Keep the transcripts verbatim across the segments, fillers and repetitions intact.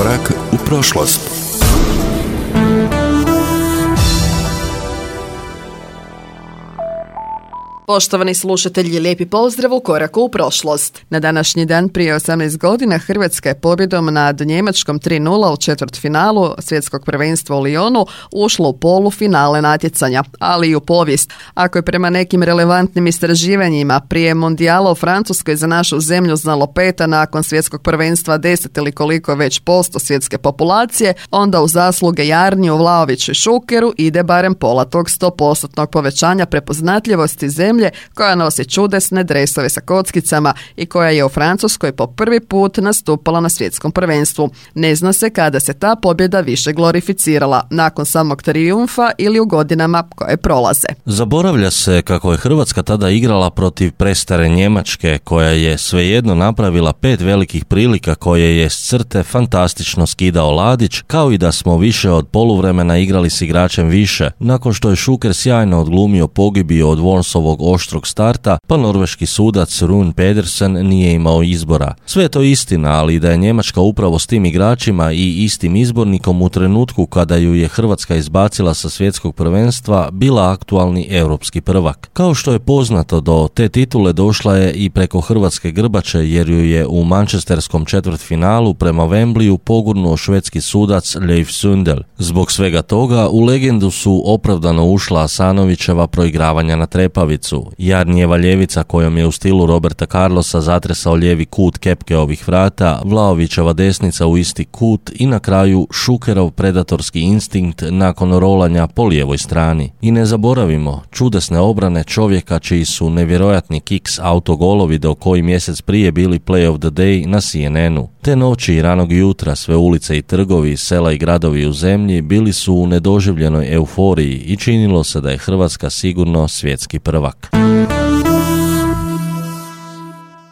Korak u prošlost. Poštovani slušatelji, lijepi pozdrav u Koraku u prošlost. Na današnji dan prije osamnaest godina Hrvatska je pobjedom nad Njemačkom tri nula u četvrtfinalu svjetskog prvenstva u Lyonu ušla u polufinale natjecanja, ali i u povijest. Ako je prema nekim relevantnim istraživanjima prije mondijala u Francuskoj za našu zemlju znalo pet, a nakon svjetskog prvenstva deset ili koliko već posto svjetske populacije, onda u zasluge Jarniju, Vlahoviću i Šukeru ide barem pola tog sto postotnog povećanja prepoznatljivosti zemlje koja nosi čudesne dresove sa kockicama i koja je u Francuskoj po prvi put nastupala na svjetskom prvenstvu. Ne zna se kada se ta pobjeda više glorificirala, nakon samog trijumfa ili u godinama koje prolaze. Zaboravlja se kako je Hrvatska tada igrala protiv prestare Njemačke, koja je svejedno napravila pet velikih prilika koje je s crte fantastično skidao Ladić, kao i da smo više od poluvremena igrali s igračem više, nakon što je Šuker sjajno odglumio pogibiju od Wormsovog oštrog starta, pa norveški sudac Rune Pedersen nije imao izbora. Sve je to istina, ali da je Njemačka upravo s tim igračima i istim izbornikom u trenutku kada ju je Hrvatska izbacila sa svjetskog prvenstva bila aktualni europski prvak. Kao što je poznato, do te titule došla je i preko hrvatske grbače, jer ju je u manchesterskom četvrtfinalu prema Wembleyu pogurnuo švedski sudac Leif Sundel. Zbog svega toga u legendu su opravdano ušla Asanovićeva proigravanja na trepavicu, Jarnijeva ljevica kojom je u stilu Roberta Carlosa zatresao lijevi kut kepke ovih vrata, Vlahovićeva desnica u isti kut i na kraju Šukerov predatorski instinkt nakon rolanja po lijevoj strani. I ne zaboravimo čudesne obrane čovjeka čiji su nevjerojatni kiks autogolovi do koji mjesec prije bili play of the day na C N N-u. Te noći i ranog jutra sve ulice i trgovi, sela i gradovi u zemlji bili su u nedoživljenoj euforiji i činilo se da je Hrvatska sigurno svjetski prvak.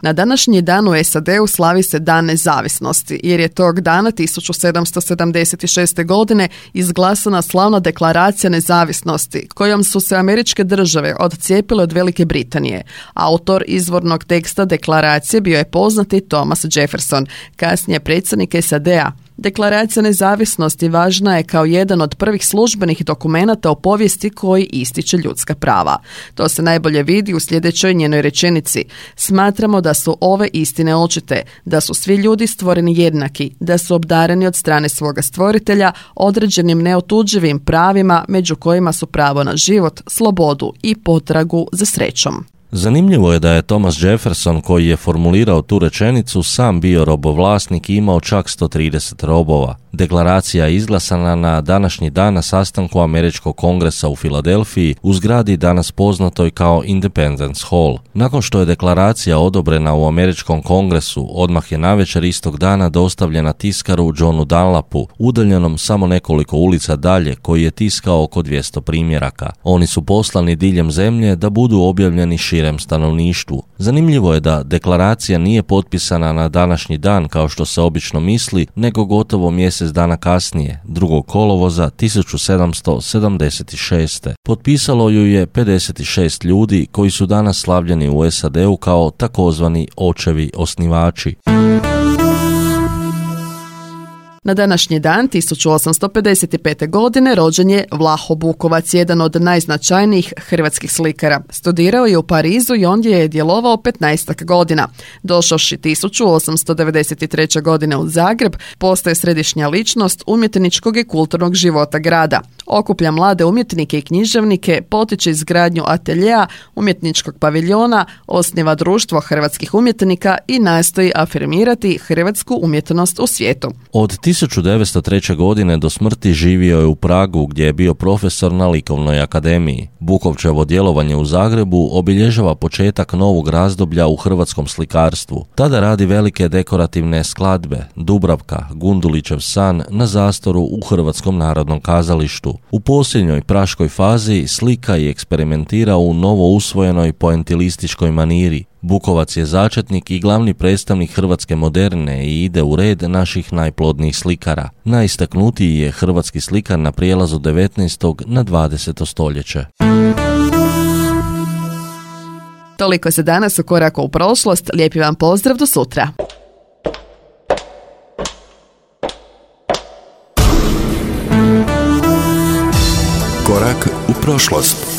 Na današnji dan u S A D-u slavi se Dan nezavisnosti, jer je tog dana tisuću sedamsto sedamdeset šeste. godine izglasana slavna deklaracija nezavisnosti, kojom su se američke države odcijepile od Velike Britanije. Autor izvornog teksta deklaracije bio je poznati Thomas Jefferson, kasnije predsjednik S A D-a. Deklaracija nezavisnosti važna je kao jedan od prvih službenih dokumenata o povijesti koji ističe ljudska prava. To se najbolje vidi u sljedećoj njenoj rečenici. Smatramo da su ove istine očite, da su svi ljudi stvoreni jednaki, da su obdareni od strane svoga stvoritelja određenim neotuđivim pravima, među kojima su pravo na život, slobodu i potragu za srećom. Zanimljivo je da je Thomas Jefferson, koji je formulirao tu rečenicu, sam bio robovlasnik i imao čak sto trideset robova. Deklaracija je izglasana na današnji dan na sastanku Američkog kongresa u Filadelfiji u zgradi danas poznatoj kao Independence Hall. Nakon što je deklaracija odobrena u Američkom kongresu, odmah je navečer istog dana dostavljena tiskaru Johnu Dunlapu, udaljenom samo nekoliko ulica dalje, koji je tiskao oko dvjesto primjeraka. Oni su poslani diljem zemlje da budu objavljeni širem stanovništvu. Zanimljivo je da deklaracija nije potpisana na današnji dan kao što se obično misli, nego gotovo mjesec dana kasnije, drugog kolovoza tisuću sedamsto sedamdeset šeste. Potpisalo ju je pedeset šest ljudi koji su danas slavljeni u S A D-u kao takozvani očevi osnivači. Na današnji dan tisuću osamsto pedeset pete. godine rođen je Vlaho Bukovac, jedan od najznačajnijih hrvatskih slikara. Studirao je u Parizu i ondje je djelovao petnaestak godina. Došavši tisuću osamsto devedeset treće. godine u Zagreb, postaje središnja ličnost umjetničkog i kulturnog života grada. Okuplja mlade umjetnike i književnike, potiče izgradnju ateljea, umjetničkog paviljona, osniva društvo hrvatskih umjetnika i nastoji afirmirati hrvatsku umjetnost u svijetu. Od tisuću devetsto treće. godine do smrti živio je u Pragu, gdje je bio profesor na Likovnoj akademiji. Bukovčevo djelovanje u Zagrebu obilježava početak novog razdoblja u hrvatskom slikarstvu. Tada radi velike dekorativne skladbe, Dubravka, Gundulićev san na Zastoru u Hrvatskom narodnom kazalištu. U posljednjoj praškoj fazi slika i eksperimentira u novo usvojenoj poentilističkoj maniri. Bukovac je začetnik i glavni predstavnik hrvatske moderne i ide u red naših najplodnijih slikara. Najistaknutiji je hrvatski slikar na prijelazu devetnaestog na dvadeseto stoljeće. Toliko za danas u Koraku u prošlost. Lijepi vam pozdrav, do sutra. Korak u prošlost.